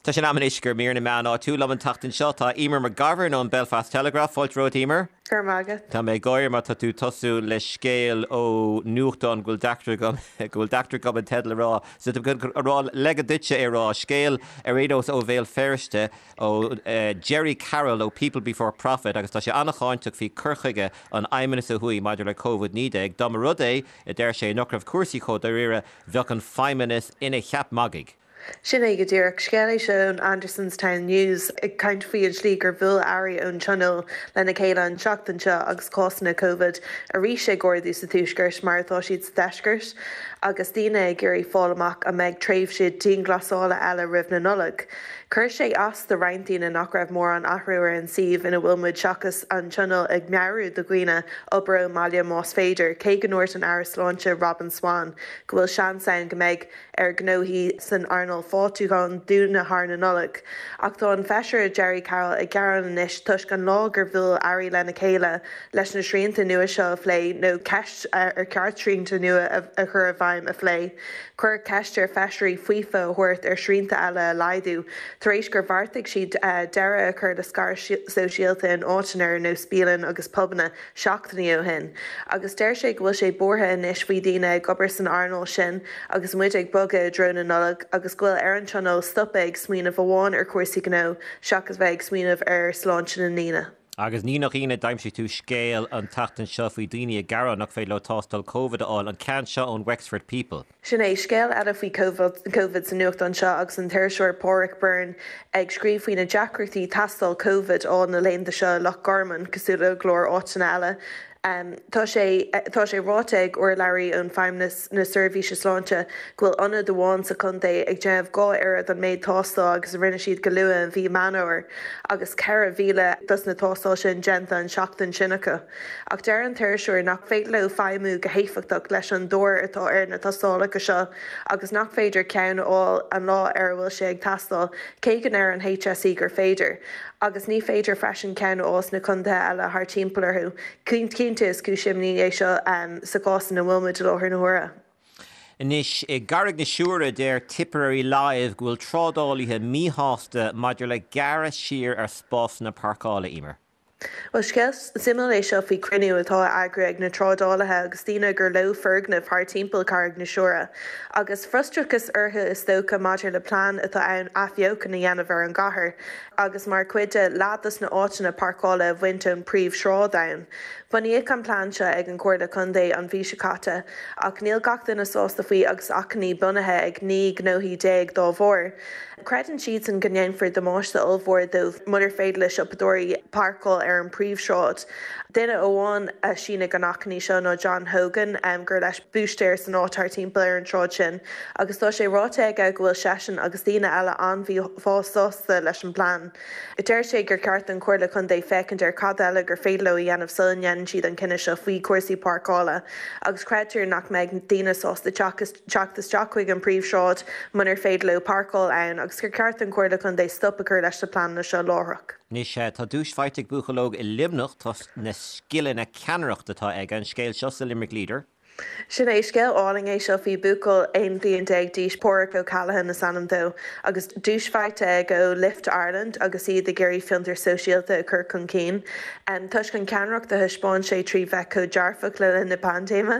Tá sé in am anois do mhír na meán áitiúil. Liom an tseachtain seo tá Eimear McGovern ón Belfast Telegraph. Fáilte romhat, Eimear. Go raibh maith agat. Tá mé ag gáire mar tá tú ag tosú le scéal ó nuachtán go bhfuil deacracht agam go bhfuil deacracht agam an teideal a rá. So tá mé ag rá ligean duitse é a rá. Scéal ar aon nós ó Bhéal Feirste ó Gerry Carroll ó People Before Profit agus tá sé an-cháinteach faoi cur chuige an Fheidhmeannas ó thuaidh maidir le Covid-19. Dá mba rud é, a deir sé, nach raibh cúrsaí chomh dáiríre, bheadh an Feidhmeannas ina cheap magaidh. Sin é go díreach. Scéal é seo ón Andersonstown News ag caint faoi an slí gur bhuail airí ón Tionól lena chéile an tseachtain seo agus cásanna Covid arís ag ardú sa Tuaisceart mar atá siad sa Deisceart agus daoine ag iarraidh fáil amach an mbeidh tréimhse dianghlasála eile roimh na Nollag. Chuir sé as do roinnt daoine nach raibh mórán athrú ar an suíomh ina bhfuil muid seachas an Tionól ag meabhrú do dhaoine obair ón mbaile más féidir, cé go ndúirt an Aire Sláinte Robin Swann go bhfuil seans ann go mbeidh ar ghnóthaí san earnáil fáiltiúcháin dúnadh thar na Nollag. Ach tá an Feisire Gerry Carroll ag gearán anois toisc an lá gur bhuail airí lena chéile leis na srianta nua seo a phlé nó ceist ar cheart srianta nua a chur i bhfeidhm a phlé. Cuireadh ceist ar feisirí faofa a thabhairt ar shrianta eile a laghdú tar éis gur bheartaigh siad deireadh a chur le scaradh sóisialta in áiteanna ar nós bialann agus pubanna seachtainí ó shin. Agus deir sé go bhfuil sé buartha anois faoi dhaoine ag obair san earnáil sin agus muid ag bogadh i dtreo na Nollag agus go bhfuil ar an Tionól stopadh ag smaoineamh amháin ar chúrsaí gnó seachas bheith ag smaoineamh ar sláinte na ndaoine. Agus ní nach ionadh, d'aimsigh tú scéal an tseachtain seo faoi daoine ag gearán nach féidir leo tástáil Covid a fháil, an ceann seo ón Wexford People. Sin é, scéal eile faoi Covid sa nuachtán seo agus an t-iriseoir Páraic Byrne ag scríobh faoi na deacrachtaí tástáil Covid a fháil na laethanta seo i Loch Garman, cosúil le go leor áiteanna eile. Tá sé tá sé ráite ag urlabhraí ón Feidhmeannas na Seirbhíse Sláinte go bhfuil ionad amháin sa chontae ag déanamh 2 oiread an méid tástáil agus a rinne siad go luath i mhí Meán Fhómhair agus 4,000 dos na tástáil sin déanta an seachtain sin acu. Ach deir an t-iriseoir nach féidir leo feidhmiú go héifeachtach leis an dtóir atá ar na tástálacha seo agus nach féidir ceann a fháil an lá ar a bhfuil sé ag teastáil, cé go ndeir an HSE gur féidir. Agus ní féidir freisin ceann a fháil sna contaetha eile thar timpeall orthu. Cinnte is cúis imní é seo sa chás ina bhfuil muid i láthair na huaire. Anois, i gCarraig na Siúire, deir Tipperary Live go bhfuil trádálaithe míshásta maidir le gearradh siar ar spásanna páirceála, Emer. Bhuel, scéal suimiúil é seo faoi chruinniú atá á eagrú ag na trádálaithe agus daoine gur leo foirgnimh thar timpeall Carraig na Siúire. Agus frustrachas orthu is dócha maidir le plean atá ann athbheochan a dhéanamh ar an gcathair agus mar chuid de, leath dos na áiteanna páirceála a bhaint ón príomhshráid ann. Bunaíodh an plean seo ag an Chomhairle Contae an mhí seo caite ach níl gach duine sásta faoi agus achainí bunaithe ag 19 gnóthaí dá bharr. Creideann siadsan go ndéanfar damáiste ollmhór dóibh munar féidir le siopadóirí páirceáil ar an bpríomhshráid. Duine amháin a shínigh an achainí seo ná John Hogan, gur leis búistéir san áit thart timpeall ar an tsráid sin, agus tá sé ráite aige go bhfuil seisean agus daoine eile an-mhíshásta leis an bplean. Deir sé gur ceart don Chomhairle Contae féachaint ar cad eile gur féidir leo a dhéanamh sula ndéanann siad an cinneadh seo faoi chúrsaí páirceála agus creidtear nach mbeidh daoine sásta teacht isteach chuig an bpríomhshráid munar féidir leo páirceáil ann agus gur ceart don Chomhairle Contae stop a chur leis na pleananna seo láithreach. Anois, tá duais faighte ag buachaill óg i Luimneach toisc na scileanna ceannaireachta atá aige, an scéal seo sa Limerick Leader. Sin é, scéal álainn é seo faoi buachaill 11 bliain d'aois, Páraic O'Callaghan is ainm dó, agus duais faighte aige ó Lift Ireland agus iad ag iarraidh fiontar sóisialta a chur chun cinn. Toisc an cheannaireacht a thaispeáin sé trí bheith chomh dearfach le linn na paindéime.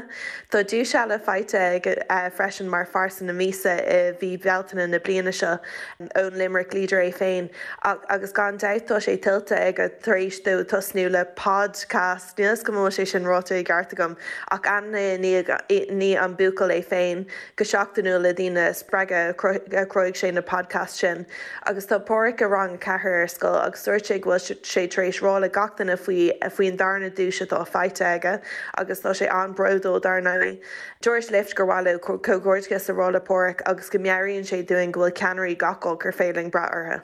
Tá duais eile faighte aige freisin mar Phearsa na Míosa i mhí Bealtaine na bliana seo ón Limerick Leader é féin agus gan dabht tá sé tuillte aige tar éis dó tosnú le podcast, níl 'fhios agam an bhfuil sé sin ráite i gceart agam, ach ainmneoidh an buachaill é féin go seachtainiúil le daoine a spreagadh a chruthaigh sé na podcasts sin. Agus tá Páraic i rang 4 ar scoil agus dúirt sé go bhfuil sé tar éis rá le gach duine faoi faoin darna duais atá faighte aige agus tá sé an-bhródúil dar ndóigh. Dúirt Lift gur mhaith leo comhghairdeachas a rá le Páraic agus go meabhraíonn sé dúinn go bhfuil ceannairí gach áit gur féidir linn brath orthu.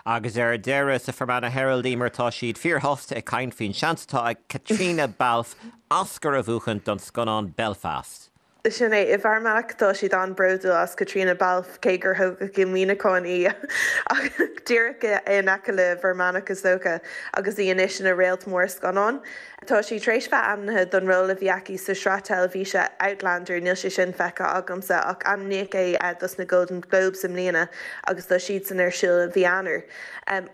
Agus ar deireadh, sa Fermanagh Herald, Emer, tá siad fíorshásta ag caint faoin seans atá ag Caitríona Balfe Oscar a bhuachan don scannán Belfast. Sin é. I bhFear Manach tá siad an-bhródúil as Caitríona Balfe, cé gur thógadh i Muineachán í, ach díreach in aice le Fear Manach is dócha, agus í anois ina réalt mór scannán. Tá sí tar éis bheith ainmnithe don ról a bhí aici sa sraith teilifíse Outlander, níl sé sin feicthe agamsa, ach ainmníodh é dos na Golden Globes i mbliana agus tá siadsan ar siúl i mhí Eanáir.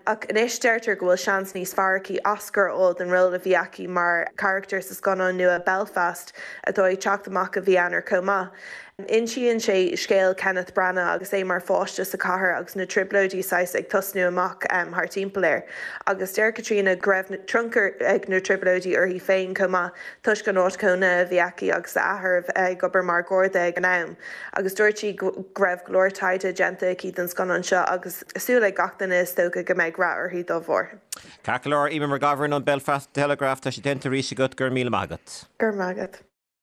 Ach anois deirtear go bhfuil seans níos fearr aici Oscar a fháil don ról a bhí aici mar charachtar sa scannán nua Belfast atá ag teacht amach i mhí Eanáir chomh maith. Insíonn sé scéal Kenneth Branagh agus é mar pháiste sa chathair agus na trioblóidí saghas ag tosnú amach thar timpeall air. Agus deir Caitríona go raibh tionchar ag na trioblóidí uirthi féin chomh maith toisc an áit chónaithe a bhí aici agus a athair a bheith ag obair mar gharda ag an am. Agus dúirt sí go raibh go leor taighde déanta aici don scannán seo agus súil ag gach duine is dócha go mbeidh rath uirthi dá bharr. Ceart go leor, Eimear McGovern ón Belfast Telegraph, tá sé déanta arís agat, go raibh míle maith agat. Go raibh maith agat.